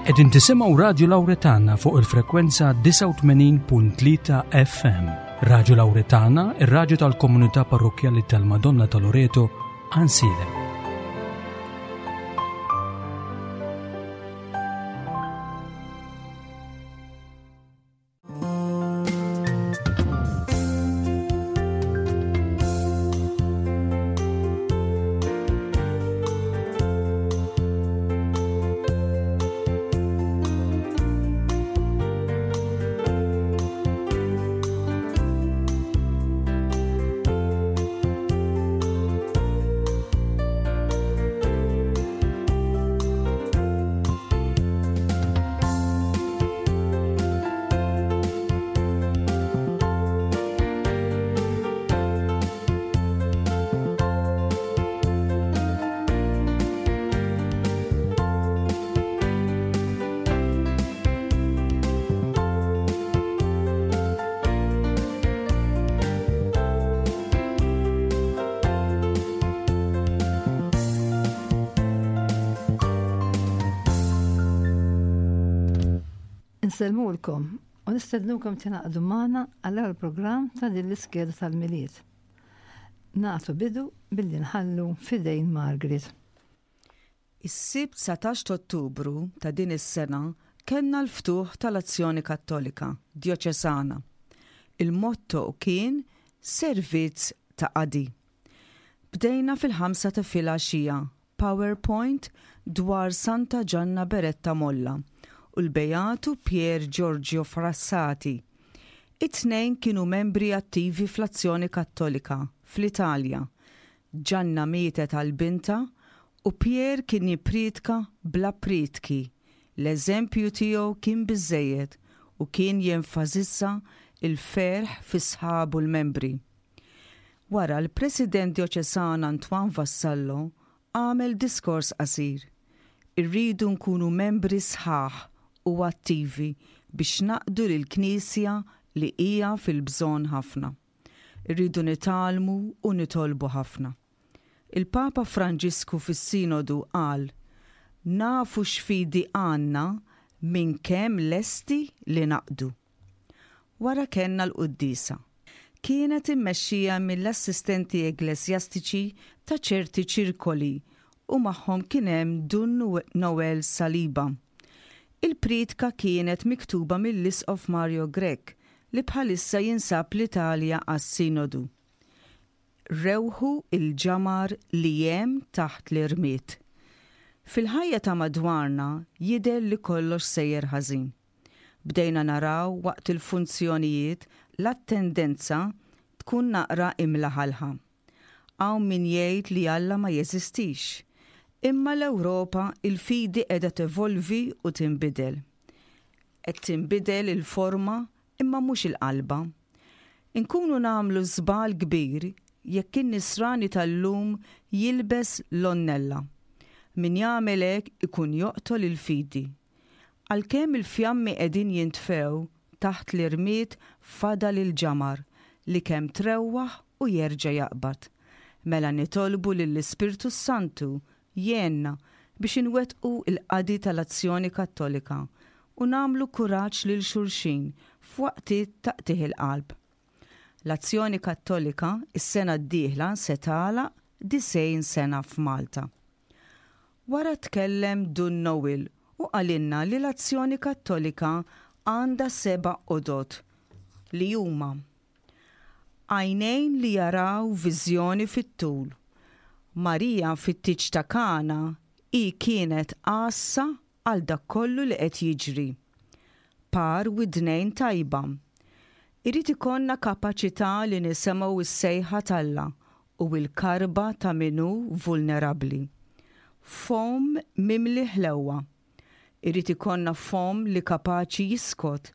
Qegħdin tisimgħu Radju Lawretana fuq il-frekwenza 89.3 FM. Radju Lawretana, ir-radju tal-komunità parrokkjali tal-Madonna ta' Loreto, Ansilem. Insellmulkom u nistednukom tingħaqdu magħna għall-ewwel programm ta' din l-iskeda tal-Milied. Nagħtu bidu billi nħallu f'idejn Margaret. Is-Sibt 19 t'Ottubru ta' din is-sena kellna l-ftuħ tal-Azzjoni Kattolika Djoċesana. Il-motto kien Servizz ta' Qadi. Bdejna fil-ħamsa ta' filgħaxija PowerPoint dwar Santa Ġanna Beretta Molla u l-Beatu Pier Giorgio Frassati. It-tnejn kienu membri attivi fl-Azzjoni Kattolika fl-Italja. Ġanna mietet għal bintha u Pier kien jipprietka bla prietki. L-eżempju tiegħu kien biżżejjed u kien jenfasizza l-ferħ fi sħabu l-membri. Wara, l-President Djoċesan Antoine Vassallo għamel diskors qasir. Irridu nkunu membri sħaħ u attivi biex naqdu lill-Knisja li hija fil-bżonn ħafna. Irridu nitgħallmu u nitolbu ħafna. Il-Papa Franġisku fis-Sinodu qal, Nafu x'fidi għandna minn kemm lesti li naqdu. Wara kellna l-quddiesa. Kienet immexxija mill-assistenti ekklesjastiċi ta' ċerti ċirkoli u magħhom kien hemm Dun Noel Saliba. Il-prietka kienet miktuba mill-Isqof Mario Grech li bħalissa jinsab l-Italja għas-Sinodu. Rewħu l-ġamar li hemm taħt l-irmied. Fil-ħajja ta' madwarna jidher li kollox sejjer ħażin. Bdejna naraw waqt il-funzjonijiet l-attendenza tkun naqra imlaħalħa. Hawn min jgħid li Alla ma jeżistix. Imma l-Ewropa il-fidi qiegħda tevolvi u tinbidel. Qed tinbidel il-forma imma mhux il-qalba. Inkunu nagħmlu żball kbir jekk in-nisrani tal-lum jilbes l-għonnella. Min jagħmel hekk ikun joqtol il-fidi. Għalkemm il-fjammi qegħdin jintfew, taħt l-irmied fadal il-ġamar li kemm trewwaħ u jerġa' jaqbad. Mela nitolbu lill-Ispirtu s-Santu jgħinna biex inwettqu l-qadi tal-Azzjoni Kattolika u nagħmlu kuraġġ lil xulxin f'waqtiet ta' qtigħ il-qalb. L-Azzjoni Kattolika s-sena d-dieħla se tagħlaq 90 sena f'Malta. Wara tkellem Dun Noel u qalilna li l-Azzjoni Kattolika għandha seba' għodod li huma, Għajnejn li jaraw viżjoni fit-tul. Marija fit-tieġ ta' Kana hi kienet għassa għal dak kollu li qed jiġri. Par widnejn tajba. Irid ikollna kapaċità li nisemgħu s-sejħa t'Alla u l-karba ta' min hu vulnerabbli. Fomm mimli ħlewwa. Irid ikollna fomm li kapaċi jiskot,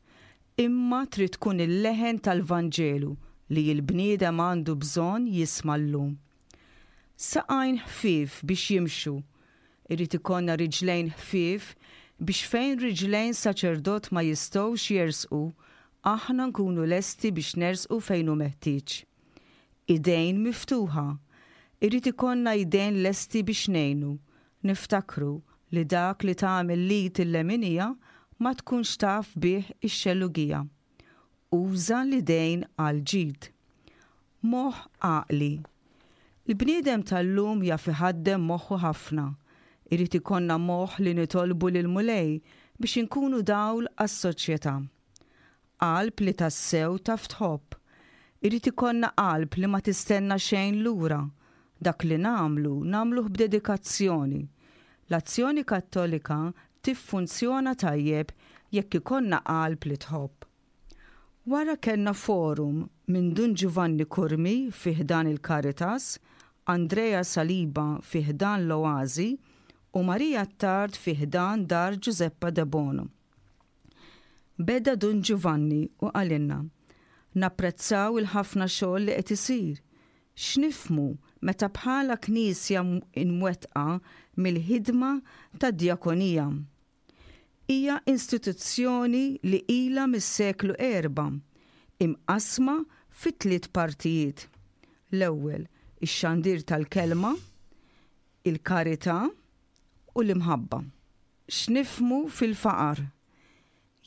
imma trid tkun il-leħen tal-Vanġelu li l-bniedem għandu bżonn jisma' llum. Saqajn ħfief biex jimxu. Irid ikollna riġlejn ħfief biex fejn riġlejn saċerdot ma jistgħux jersqu, aħna nkunu lesti biex nersqu fejn hu meħtieġ. Idejn miftuħa. Irid ikollna idejn lesti biex ngħinu. Niftakru. Li dak li tagħmel l-id il-leminija ma tkunx taf bih ix-xellugija. Uża l-idejn għall-ġid. Moħħ għaqli. Il-bniedem tal-lum jaf iħaddem moħħu ħafna. Irid ikollna moħħ li nitolbu lill-Mulej biex inkunu dawl għas-soċjetà. Qalb li tassew taf tħobb. Irid ikollna qalb li ma tistenna xejn lura. Dak li nagħmlu, nagħmluh b'dedikazzjoni. L-Azzjoni Kattolika tiffunzjona tajjeb jekk ikollna qalb li tħobb. Wara kellna forum minn Dun Giovanni Curmi fi ħdan il-Caritas, Andrea Saliba fi ħdan l-Oasi u Maria Attard fi ħdan Dar Giuseppa Debono. Beda Dun Giovanni u qalilna, Napprezzaw il-ħafna xogħol li qed isir. X'nifhmu meta bħala Knisja mwettqa mill-ħidma tad-djakonija? Hija instituzzjoni li ilha mis-seklu erbgħa, imqassma fi tliet partijiet. L-ewwel, ix-xandir tal-kelma, il-karità u l-imħabba. X'nifhmu fil-faqar?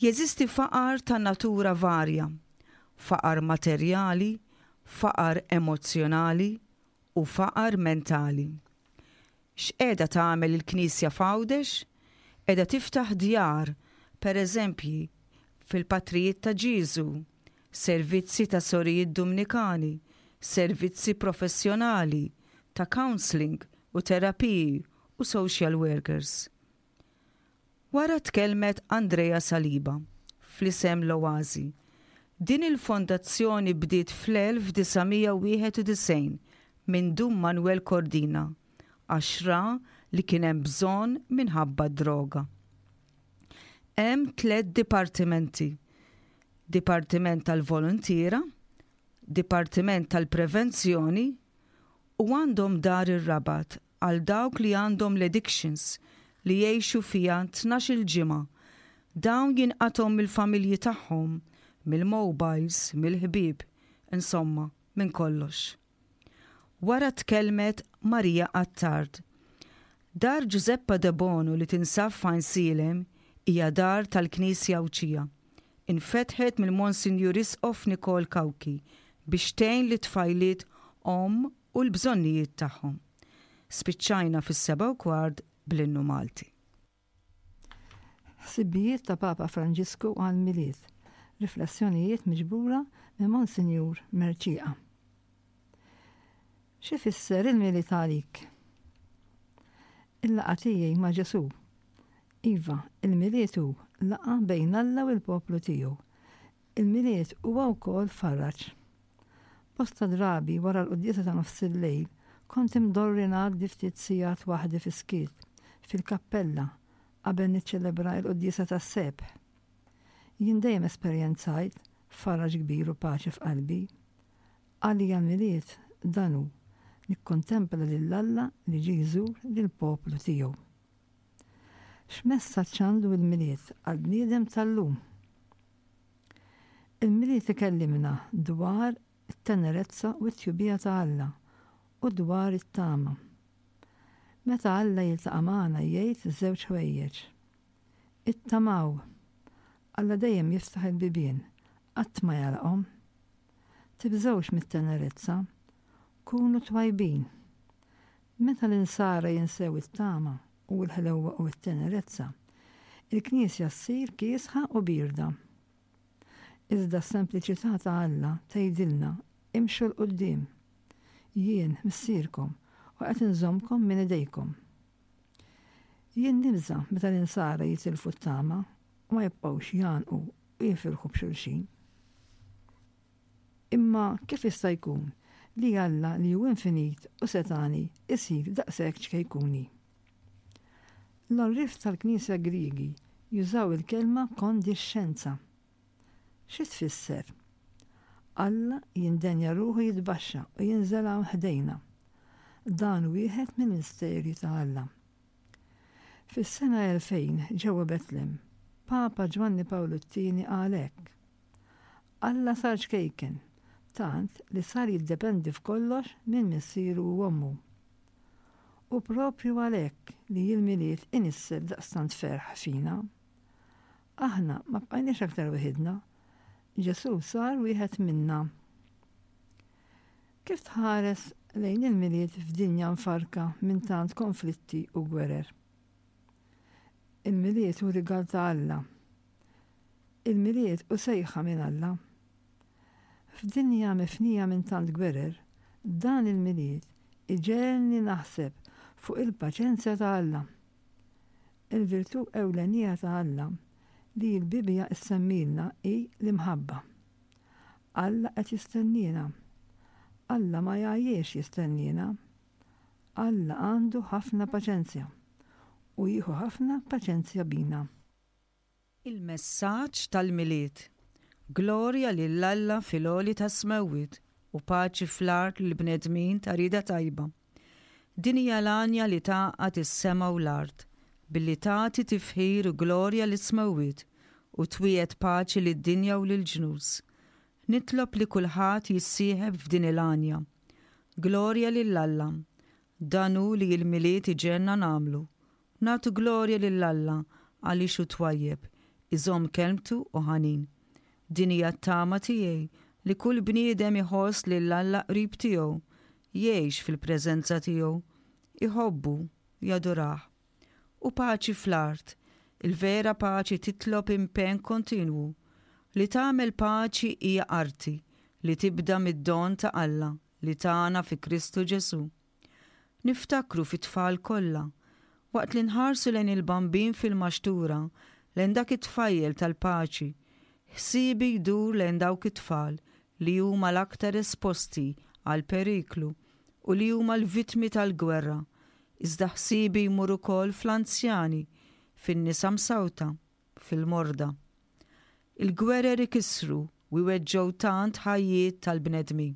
Jeżisti faqar ta' natura varja, faqar materjali, faqar emozzjonali u faqar mentali. X'qiegħda tagħmel il-Knisja f'Għawdex? Qiegħda tiftaħ djar, per eżempji, fil-Patrijiet ta' Ġieżu, servizzi ta' sorijiet Dumnikani, servizzi professjonali ta' counselling u terapiji u social workers. Wara tkellmet Andrea Saliba, fl-isem l-Oasi. Din il-fondazzjoni bdiet fl-1991 minn Dun Manuel Cordina għax ra li kien hemm bżonn minħabba d-droga. Hemm tlett dipartimenti, Dipartiment tal-Voluntiera, Dipartiment tal-Prevenzjoni u għandhom Dar ir-Rabat għal dawk li għandhom l-addictions li jgħixu fiha 12-il ġimgħa. Dawn jinqatgħu mill-familji tagħhom, mill-mobiles, mill-ħbieb, insomma, minn kollox. Wara tkellmet Maria Attard. Dar Giuseppa Debono li tinsab f'Għajnsielem hija dar tal-Knisja Għawdxija. Infetħet mill-Monsinjur Isqof Nikol Cauchi biex tgħin lit-tfajliet omm u l-bżonnijiet tagħhom. Spiċċajna fis-7:15 bl-Innu Malti. Ħsibijiet ta' Papa Franġisku għall-Milied, Riflessjonijiet miġbura minn Monsinjur Mercieca. X'ifisser il-Milied għalik? Il-laqgħa tiegħi ma' Ġesù. Iva, il-Milied hu laqgħa bejn Alla u l-poplu tiegħu. Il-Milied huwa wkoll faraġ. Bosta drabi wara l-quddiesa ta' nofsillejl kont imdorri ngħaddi ftit sigħat waħdi fis-skiet, fil-kappella, qabel niċċelebra l-quddiesa tas-sebħ. Jien dejjem esperjenzajt faraġ kbir u paċi f'qalbi. Għalija l-Milied dan hu, nikkontempla lil Alla li ġie jżur lill-poplu tiegħu. X'messaġġ għandu l-Milied għall-bniedem tal-lum? Il-Milied ikellimna dwar it-tenerezza u t-tjubija ta' Alla u dwar it-tama. Meta Alla jiltaqa' magħna jgħid żewġ ħwejjeġ. Ittamaw! Alla dejjem jiftaħ il-bibien, qatt ma jagħlaqhom. Tibżgħux mit-tenerezza, kunu twajbin. Meta l-insara jinsew it-tama u l-ħlewwa u t-tenerezza, il-Knisja ssir kiesħa u bierda. Iżda s-sempliċità ta' Alla tgħidilna, imxu 'l quddiem. Jien Missierkom u qed inżommkom minn idejkom. Jien nibża' meta l-insara jitilfu t-tama u ma jibqgħux jgħannqu u jifirħu b'xulxin. Imma kif jista' jkun li Alla li hu infinit u setgħani jsir daqshekk ċkejkuni? L-għorrief tal-Knisja Griegi jużaw il-kelma kondixxenza. Xi tfisser? Alla jindenja ruħu jitbaxxa u jinżel hawn ħdejna. Dan hu wieħed mill-misteri ta' Alla. Fis-sena 2000 ġewwa Betlem, Papa Ġwanni Pawlu t-Tieni qal hekk, Alla sar ċkejken, tant li sar jiddependi f'kollox minn missieru u ommu. Hu proprju għalhekk li l-Milied inissel daqstant ferħ fina. Aħna ma bqajniex aktar weħidna. Ġesù sar wieħed minna. Kif tħares lejn il-Milied f'dinja mfarrka minn tant konflitti u gwerer? Il-Milied hu rigal ta' Alla. Il-Milied hu sejħa minn Alla. F'dinja mifnija minn tant gwerer, dan il-Milied iġegħelni naħseb fuq il-paċenzja ta' Alla. Il-virtù ewlenija ta' Alla li l-Bibbja ssemmilna hi l-imħabba. Alla qed jistenniena. Alla ma jgħajjiex jistenniena. Alla għandu ħafna paċenzja u jieħu ħafna paċenzja bina. Il-messaġġ tal-Milied, Glorja lil Alla fil-għoli tas-smewwiet u paċi fl-art lill-bnedmin ta' rieda tajba. Din hija l-għanja li tgħaqqad is-sema u l-art, billi tagħti tifħir u glorja lis-smewwiet u twiegħed paċi lid-dinja u lill-ġnus. Nitlob li kulħadd jissieħeb f'din il-għanja. Glorja lil Alla! Dan hu li l-Milied iġegħelna nagħmlu. Nagħtu glorja lil Alla għaliex hu twajjeb, iżomm kelmtu u ħanin. Din hija t-tama tiegħi li kull bniedem iħoss lil Alla qrib tiegħu, jgħix fil-preżenza tiegħu, iħobbu, jadurah. U paċi fl-art. Il-vera paċi titlob impenn kontinwu. Li tagħmel paċi hija arti li tibda mid-don ta' Alla li tana fi Kristu Ġesù. Niftakru fit-tfal kollha. Waqt li nħarsu lejn il-Bambin fil-maxtura, lejn dak it-tfajjel tal-paċi, ħsiebi jdur lejn dawk it-tfal li huma l-aktar esposti għall-periklu u li huma l-vittmi tal-gwerra, iżda ħsiebi jmur ukoll fl-anzjani, fin-nisa msawta, fil-morda. Il-gwerer ikissru u jweġġgħu tant ħajjiet tal-bnedmin.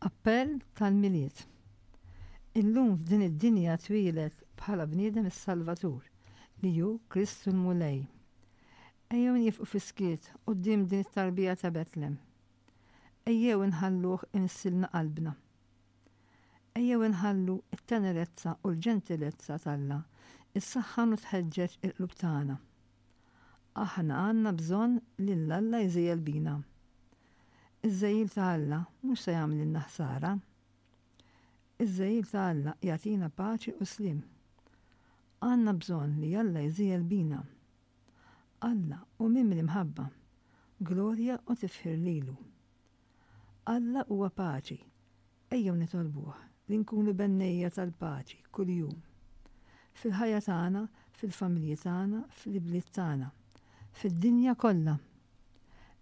Appell tal-Milied. Illum f'din id-dinja twieled bħala bniedem is-Salvatur, li hu Kristu l-Mulej. Ejjew niefqu fis-skiet quddiem din it-tarbija ta' Betlem. Ejjew inħalluh imissilna qalbna. Ejjew inħallu t-tenerezza u l-ġentilezza t'Alla ssaħħan u tħeġġeġ il-qlub tagħna. Aħna għandna bżonn lil Alla jżejjel bina. Iż-żegħil ta' Alla mhux se jagħmlilna ħsara. Iż-żegħil ta' Alla jagħtina paċi u sliem. Għandna bżonn li Alla jżejjel bina. Alla hu mimli mħabba, glorja u tifħir lilu. Alla huwa paċi. Ejjew nitolbuh li nkunu bennejja tal-paċi kuljum. Fil-ħajja tagħna, fil-familji tagħna, fl-ibliet tagħna. Fid-dinja kollha.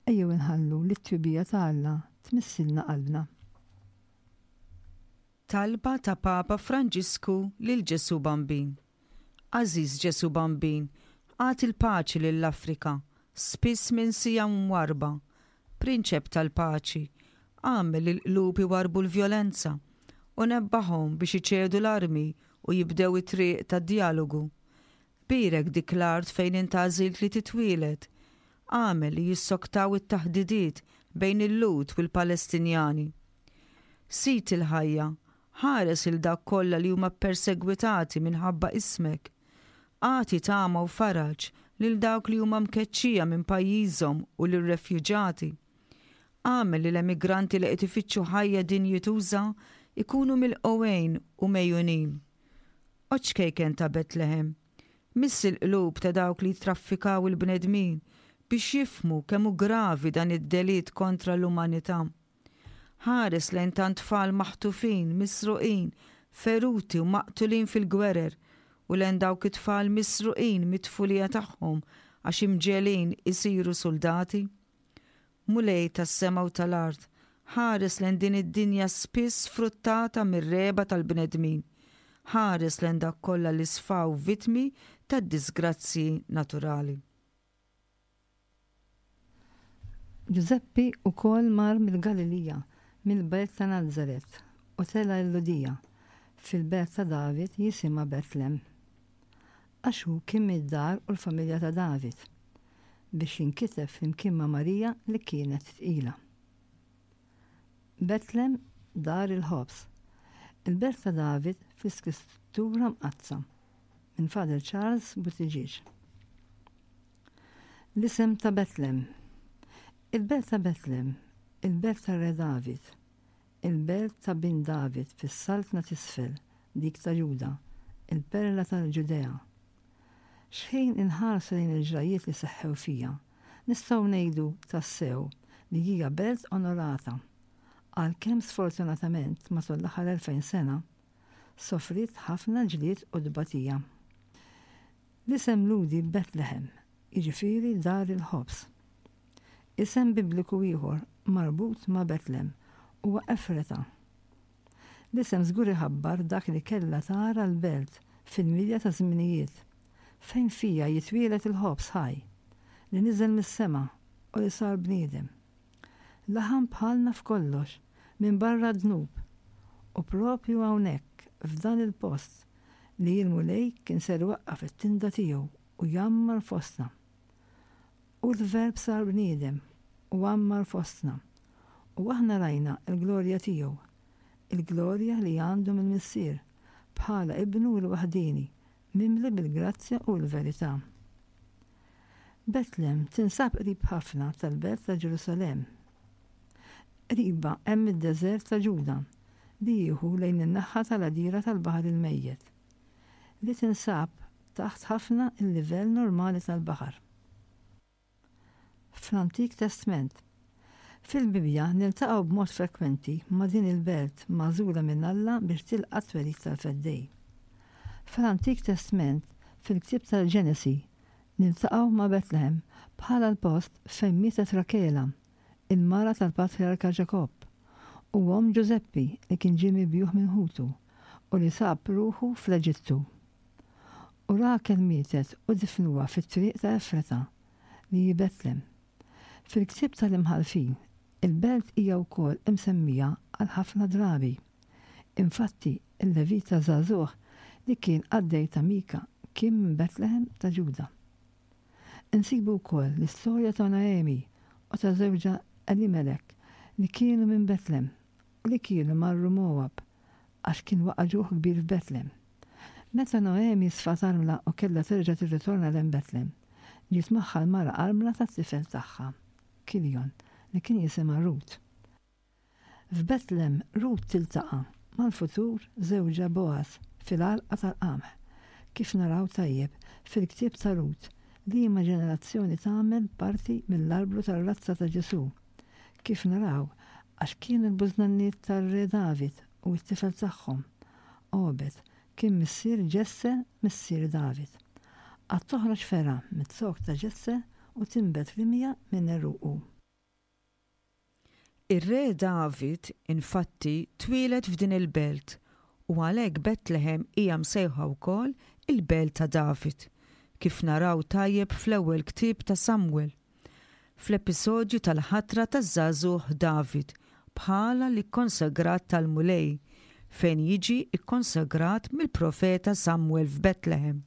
Ejjew inħallu li t-tjubija ta' Alla tmissilna qalbna. Talba ta' Papa Franġisku lil Ġesù Bambin Għażiż Ġesù Bambin, agħti l-paċi lill-Afrika, spiss minsija u mwarrba. Prinċep tal-paċi, agħmel li l-qlub iwarrbu l-vjolenza u nebbaħhom biex iċedu l-armi u jibdew it-triq tad-djalogu. Bierek dik l-art fejn int għażilt li titwieled. Agħmel li jissoktaw it-taħdidiet bejn il-Lhud u l-Palestinjani. Sid il-ħajja, ħares 'il dawk kollha li huma ppersegwitati minħabba ismek. Agħti tama u faraġ lil dawk li huma mkeċċija minn pajjiżhom u lir-refjuġati. Agħmel li l-emigranti li qed ifittxu ħajja dinjituża jkunu milqugħin u megħjunin. O ċkejken ta' Betlehem, miss il-qlub ta' dawk li jittraffikaw il-bnedmin biex jifhmu kemm hu gravi dan id-delitt kontra l-umanità. Ħares lejn tant tfal maħtufin, misruqin, feruti u maqtulin fil-gwerer u lejn dawk it-tfal misruqin mit-tfulija tagħhom għax imġegħlin isiru suldati. Mulej tas-sema u tal-art, ħares lejn din id-dinja spiss sfruttata mir-regħba tal-bnedmin. Ħares lejn dawk kollha li sfaw vittmi tad-diżgrazzji naturali. Ġużeppi wkoll mar mill-Galilija, mill-belt ta' Nazaret, u tela' l-Lhudija, fil-belt ta' David jisimha Betlem. Għax hu kien mid-dar u l-familja ta' David, biex jinkiteb flimkien ma' Marija li kienet tqila. Betlem, dar il-ħobż. Il-Belt ta' David fl-Iskrittura Mqaddsa minn Father Charles Buttigieg. L-isem ta' Betlem. Il-belt ta' Betlem, il-belt tar-Re David, il-belt ta' bin David fis-saltna t'isfel, dik ta' Ġuda, il-perla tal-Ġudea. Xħin inħarsu lejn il-ġrajjiet li seħħew fiha, nistgħu ngħidu tassew li hija belt onorata, għalkemm sfortunatament matul l-aħħar 2000 sena sofriet ħafna ġlied u tbatija. L-isem Lhudi Betlehem, jiġifieri Dar il-Ħobż. Isem Bibliku ieħor marbut ma' Betlem huwa Efreta. L-isem żgur iħabbar dak li kellha tara l-belt fil-milja taż-żminijiet, fejn fiha jitwieled il-ħobż ħaj, li niżel mis-sema u li sar bniedem. Laħam bħalna f'kollox, minbarra d-dnub. U proprju hawnhekk, f'dan il-post, li l-Mulej kien ser iwaqqaf it-tinda tiegħu u jgħammar fostna. U l-Verb sar bniedem u għammar fostna, u aħna rajna l-glorja tiegħu, il-glorja li għandu mill-Missier, bħala Ibnu l-waħdieni, mimli bil-grazzja u l-verità. Betlem tinsab qrib ħafna tal-belt ta' Ġerusalemm. Qribha hemm id-deżert ta' Ġuda li jieħu lejn in-naħa tal-għadira tal-Baħar il-Mejjet, li tinsab taħt ħafna l-livell normali tal-baħar. Fl-Antik Testment. Fil-Bibbja niltaqgħu b'mod frekwenti ma' din il-belt magħżula minn Alla biex tilqa' t-twelid tal-Feddej. Fl-Antik Testment, fil-ktieb tal-Ġenesi, niltaqgħu ma' Betlehem bħala l-post fejn mietet Rakela, il-mara tal-patrijarka Ġakobb, u omm Ġużeppi li kien ġie mibjugħ minn ħutu u li sab ruħu fl-Eġittu. U Rakel mietet u difnuha fit-triq ta' Efrata, li hi Betlem. Fil-ktieb tal-Imħallfin, il-belt hija wkoll imsemmija għal ħafna drabi. Infatti, il-Levita żagħżugħ li kien qaddej ta' Mika kien minn Betlehem ta' Ġuda. Insibu wkoll l-istorja ta' Naemi u ta' żewġha Elimelek li kienu minn Betlem u li kienu marru Mowab għax kien waqa' ġuħ kbir f'Betlem. Meta Noemi sfat armla u kellha terġa' tirritorna lejn Betlem, ġiet magħha l-mara armla tat-tifel tagħha, Kiljon, li kien jisimha Rut. F'Betlem, Rut tiltaqa' mal-futur żewġha Bogħaż fil-għalqa tal-qamħ, kif naraw tajjeb fil-ktieb ta' Rut, liema ġenerazzjoni tagħmel parti mill-arblu tar-razza ta' Ġesù, kif naraw għax kienu l-bużnanniet tar-Re David u t-tifel tagħhom, Obed, kien missier Ġesse missier David. Għad toħroġ fergħa miz-zokk ta' Ġesse u tinbet rimja minn għeruqu. Ir-Re David, infatti, twieled f'din il-belt u għalhekk Betlehem hija msejħa wkoll il-Belt ta' David, kif naraw tajjeb fl-ewwel ktieb ta' Samwel. Fl-episodju tal-ħatra taż-żagħżugħ David bħala l-ikkonsagrat tal-Mulej, fejn jiġi kkonsagrat mill-profeta Samwel f'Betlehem.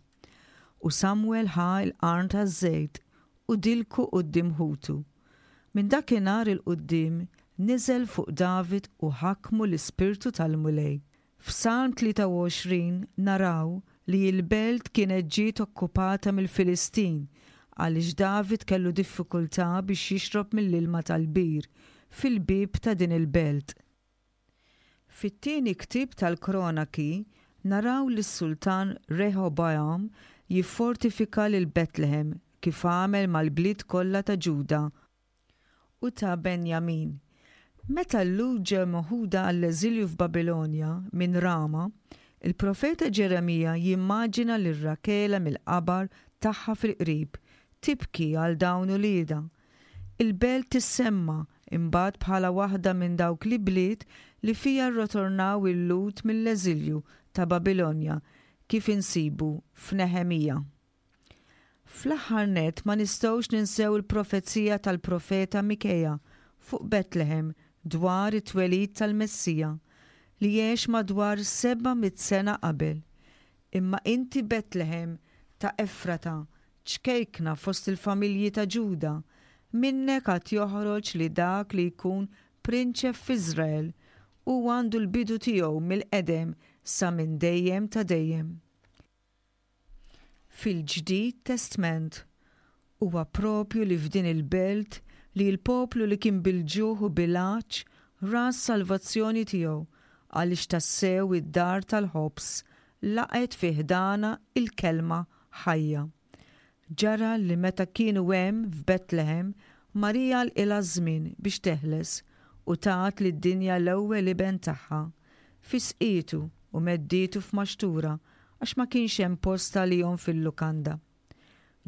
U Samwel ħa l-qarn taż-żejt u dilku quddiem ħutu. Minn dakinhar 'il quddiem niżel fuq David u ħakmu l-Ispirtu tal-Mulej. F'Salm 23 naraw li l-belt kienet ġiet okkupata mill-Filistin għaliex David kellu diffikultà biex jixrob mill-ilma tal-bir fil-bieb ta' din il-belt. Fit-tieni ktieb tal-Kronaki naraw lis-sultan Reħobogħam jiffortifika lil Betlehem kif għamel mal-bliet kollha ta' Ġuda u ta' Benjamin. Meta l-Lhud ġew meħuda għall-eżilju f'Babilonja minn Rama, il-profeta Ġeremija jimmaġina lil Rakela mill-qabar tagħha fil-qrib, tibki għal dawn uliedha. Il-belt tissemma imbagħad bħala waħda minn dawk l-ibliet li fiha rrotornaw il-Lhud mill-eżilju ta' Babilonja kif insibu f'Neħemija. Fl-aħħar nett ma nistgħux ninsew il-profezija tal-profeta Mikeja fuq Betlehem dwar it-twelid tal-Messija, li għex madwar 700 sena qabel, Imma inti Betlehem ta' Efrata, ċkejkna fost il-familji ta' Ġuda, minnek għad joħroġ li dak li jkun prinċep f'Iżrael. Huwa għandu l-bidu tiegħu mill-qedem sa minn dejjem ta' dejjem. Fil-Ġdid Testment, huwa propju li f'din il-belt li l-poplu li kien bil-ġuħ u bil-għatx ra s-salvazzjoni tiegħu għaliex tassew id-dar tal-ħobż laqgħet fi ħdanha il-Kelma ħajja. Ġara li meta kienu hemm f'Betlehem, Marija għalqilha ż-żmien biex teħles u tat lid-dinja l-ewwel iben tagħha. Fisqietu u meddietu f'maxtura għax ma kienx hemm post għalihom fil-lukanda.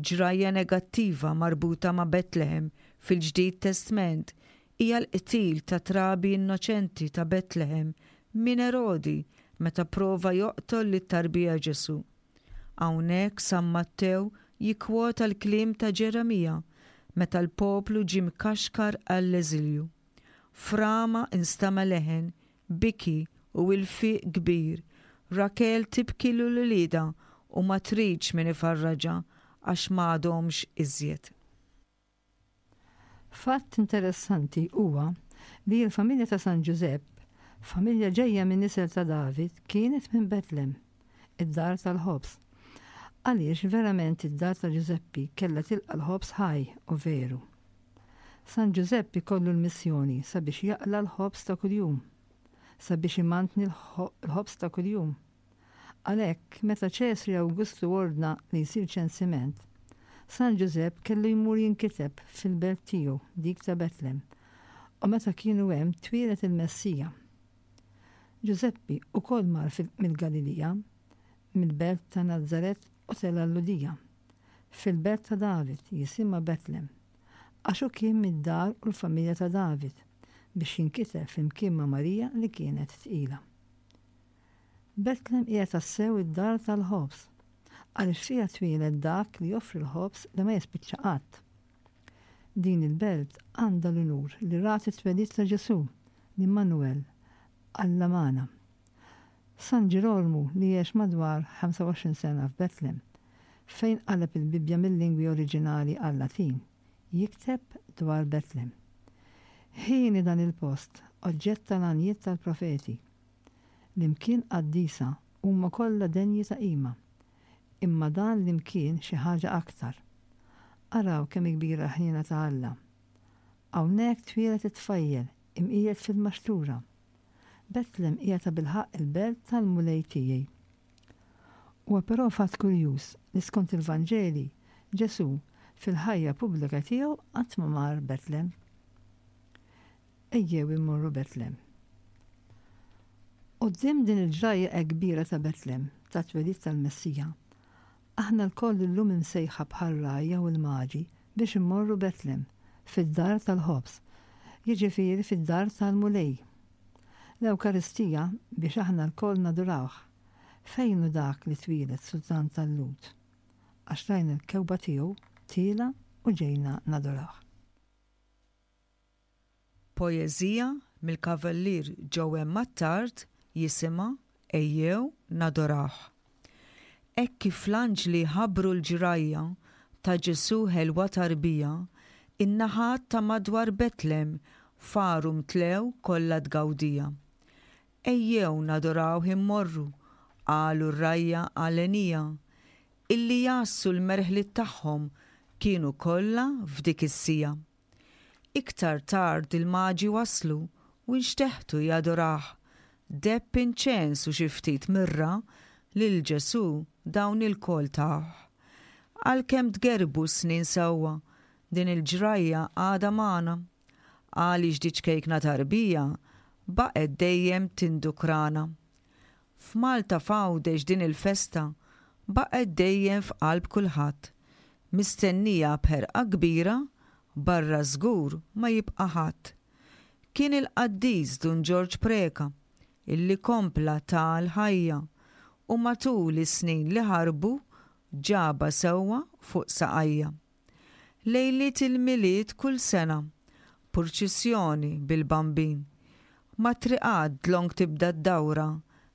Ġrajja negattiva marbuta ma' Betlehem fil-Ġdid Testment hija l-qtil ta' trabi innoċenti ta' Betlehem minn Erodi meta pprova joqtol lit-tarbija Ġesù. Hawnhekk San Mattew jikkwota l-kliem ta' Ġeremija meta l-poplu ġie mkaxkar għall-eżilju. F'Rama nstama' leħen, biki u ilfiq kbir, Rakel tibki lil uliedha u ma tridx min ifarraġha għax m'għadhomx iżjed. Fatt interessanti huwa li l-familja ta' San Ġużepp, familja ġejja min-nisel ta' David, kienet minn Betlem, id-dar tal-ħobż. Għaliex verament id-dar ta' Ġużeppi kellha tilqa' l-ħobż ħaj u veru. San Ġużepp ikollu l-missjoni sabiex jaqla' l-ħobż ta' kuljum, sabiex imantni l-ħobż ta' kuljum. Għalhekk, meta Ċesri Awgustu ordna li jsir ċensiment, San Ġużepp kellu jmur jinkiteb fil-belt tiegħu, dik ta' Betlem. U meta kienu hemm twieled il-Messija. Ġużeppi ukoll mar mill-Galilija, mill-belt ta' Nazaret u tela' l-Lhudija, fil-belt ta' David, jisimha Betlem, għax hu kien mid-dar u l-familja ta' David, biex jinkiteb flimkien ma' Marija li kienet tqila. Betlem hija tassew id-dar tal-ħobż, għaliex fiha twieled dak li joffri l-ħobż li ma jispiċċa qatt. Din il-belt għandha l-unur li rat it-twelid ta' Ġesù, l-Immanuel, Alla magħna. San Ġirolmu li għex madwar 25 sena f'Betlem, fejn qaleb il-Bibbja mil-lingwi oriġinali għal-Latin, jikteb dwar Betlem. Hieni dan il-post, oġġett tal-għanjiet tal-profeti. L-imkien qaddisa huma kollha denji ta' qima. Imma dan l-imkien xi ħaġa aktar. Araw kemm hi kbira l-ħniena ta' Alla. Hawnhekk twieled it-tfajjel, imqiegħed fil-maxtura. Betlem hija tabilħaqq il-belt tal-Mulej tiegħi. Huwa però fatt kurjuż li skont il-Vanġeli, Ġesù, fil-ħajja pubblika tiegħu qatt ma mar Betlem. Ejjew immorru Betlem. Quddiem din il-ġrajja hekk kbira ta' Betlem, tat-twelid tal-Messija, aħna lkoll illum imsejħa bħar-rgħajja u l-maġi biex immorru Betlem, fid-dar tal-ħobż, jiġifieri fid-dar tal-Mulej. L-Ewkaristija biex aħna lkoll nadurawh. Fejn hu dak li twieled Sultan tal-Lhud? Għax rajna l-kewba tiegħu tielgħa u ġejna nadurawh. Poeżija mill-Kavallier Joe Attard jisimha Ejjew Nadorawh. Hekk kif l-anġli ħabbru l-ġrajja ta' Ġesù ħelwa tarbija, in-naħat ta' madwar Betlem faru mtlew kollha tgawdija. Ejjew nadorawh immorru, qalu r-rgħajja għalenija, illi jgħassu l-merħliet tagħhom kienu kollha f'dik is-siegħa. Iktar tard il-Maġi waslu u nxteħtu jadorawh. Deheb inċens u xi ftit mirra lil Ġesù dawn ilkoll tawh. Għalkemm tgerrbu s-snin sewwa, din il-ġrajja għadha magħna. Għaliex di ċkejkna tarbija baqgħet dejjem tindukrana. F'Malta f'Għawdex din il-festa baqgħet dejjem f'qalb kulħadd, mistennija b'ħerqa kbira, barra żgur ma jibqa' ħadd. Kien il-qaddis Dun Ġorġ Preca illi kompla ta l-ħajja u matul is-snin li ħarbu ġabha sewwa fuq saqajja. Lejliet il-Milied kull sena, purċissjoni bil-Bambin. Mat-triqat dlonk tibda d-dawra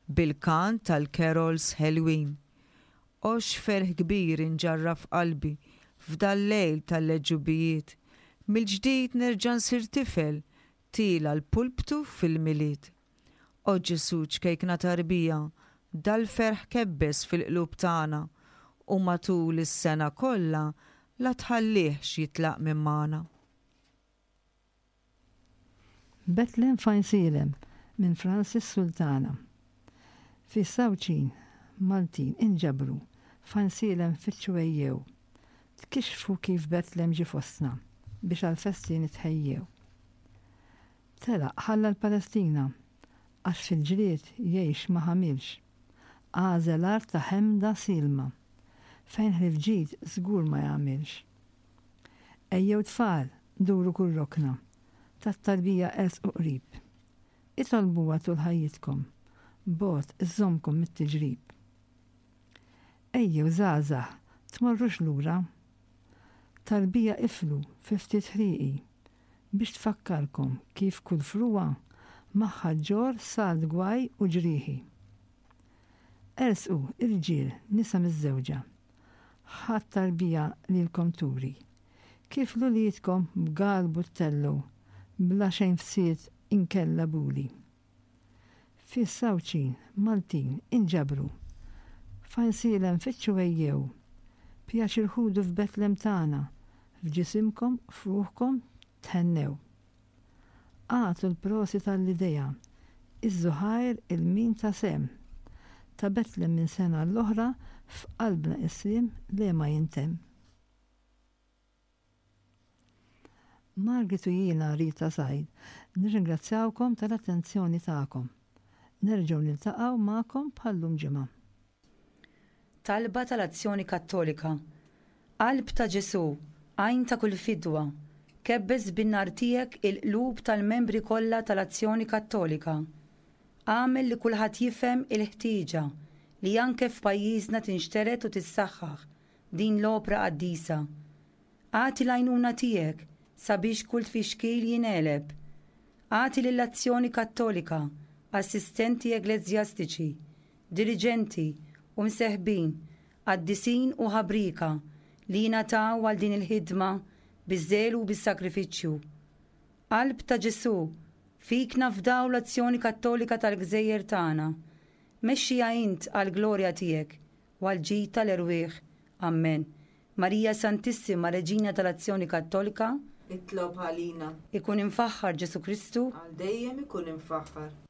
bil-kant tal-carols ħelwin. O x'ferħ kbir inġarrab f'qalbi f'dal-lejl tal-għeġubijiet, mill-ġdid nerġa' nsir tifel tiela' l-pulptu fil-Milied. O Ġesù ċkejkna tarbija, dal-ferħ kebbes fil-qlub tagħna u matul is-sena kollha la tħallihx jitlaq minn magħna. Betlem f'Għajnsielem minn Francis Sultana. Fi Sawċin, Maltin, inġabru, f'Għajnsielem fittxu ejjew. Tkixxfu kif Betlem ġie fostna biex għall-festi nitħejjew. Telaq ħalla l-Palestina għax fil-ġlied jgħix ma ħamilx. Għażel art ta' ħemda sielma fejn ħlief ġid żgur ma jagħmilx. Ejjew tfal, duru kull rokna, tat-tarbija ersqu qrib. Itolbuha tul ħajjitkom, bogħod iżżommkom mit-tiġrib. Ejjew żgħażagħ, tmorrux lura. Tarbija iflu fi ftit ħrieqi, biex tfakkarkom kif kull frugħa magħha ġġorr salt gwaj u ġrieħi. Ersqu, irġiel, nisa miżżewġa. Ħa t-tarbija lilkom turi. Kif 'l uliedkom b'galbu ttellgħu bla xejn fsied inkella buli. Fis Għawdxin, Maltin, inġabru. F'Għajnsielem fittxu ejjew. Pjaċir ħudu f'Betlem tagħna, f'ġisimkom, f'ruħkom, thennew. Agħtu l-prosit għall-idea, iżżu ħajr 'il min ta sehem. Ta' Betlem minn sena għall-oħra, f'qalbna is-sliem le ma jintemm. Margit u jiena Rita Said nirringrazzjawkom tal-attenzjoni tagħkom. Nerġgħu niltaqgħu magħkom bħal-lum ġimgħa. Talba tal-Azzjoni Kattolika Qalb ta' Ġesù, għajn ta' kull fidwa, kebbes bin-nar tiegħek il-qlub tal-membri kollha tal-Azzjoni Kattolika. Agħmel li kulħadd jifhem il-ħtieġa li anke f'pajjiżna tinxtered u tissaħħaħ din l-opra qaddisa. Agħti l-għajnuna tiegħek sabiex kull tfixkil jingħeleb. Agħti lill-Azzjoni Kattolika assistenti eggleżjastiċi, diriġenti u mseħbin, qaddisin u ħabrieka li jingħataw għal din il-ħidma biż-żelu u bis-sagrifiċċju. Qalb ta' Ġesù, fik nafdaw l-Azzjoni Kattolika tal-gżejjer tagħna. Mexxiha int għall-glorja tiegħek u għall-ġid tal-erwieħ. Ammen. Marija Santissima, Reġina tal-Azzjoni Kattolika, Itlob għalina. Ikun imfaħħar Ġesù Kristu. Għal dejjem ikun imfaħħar.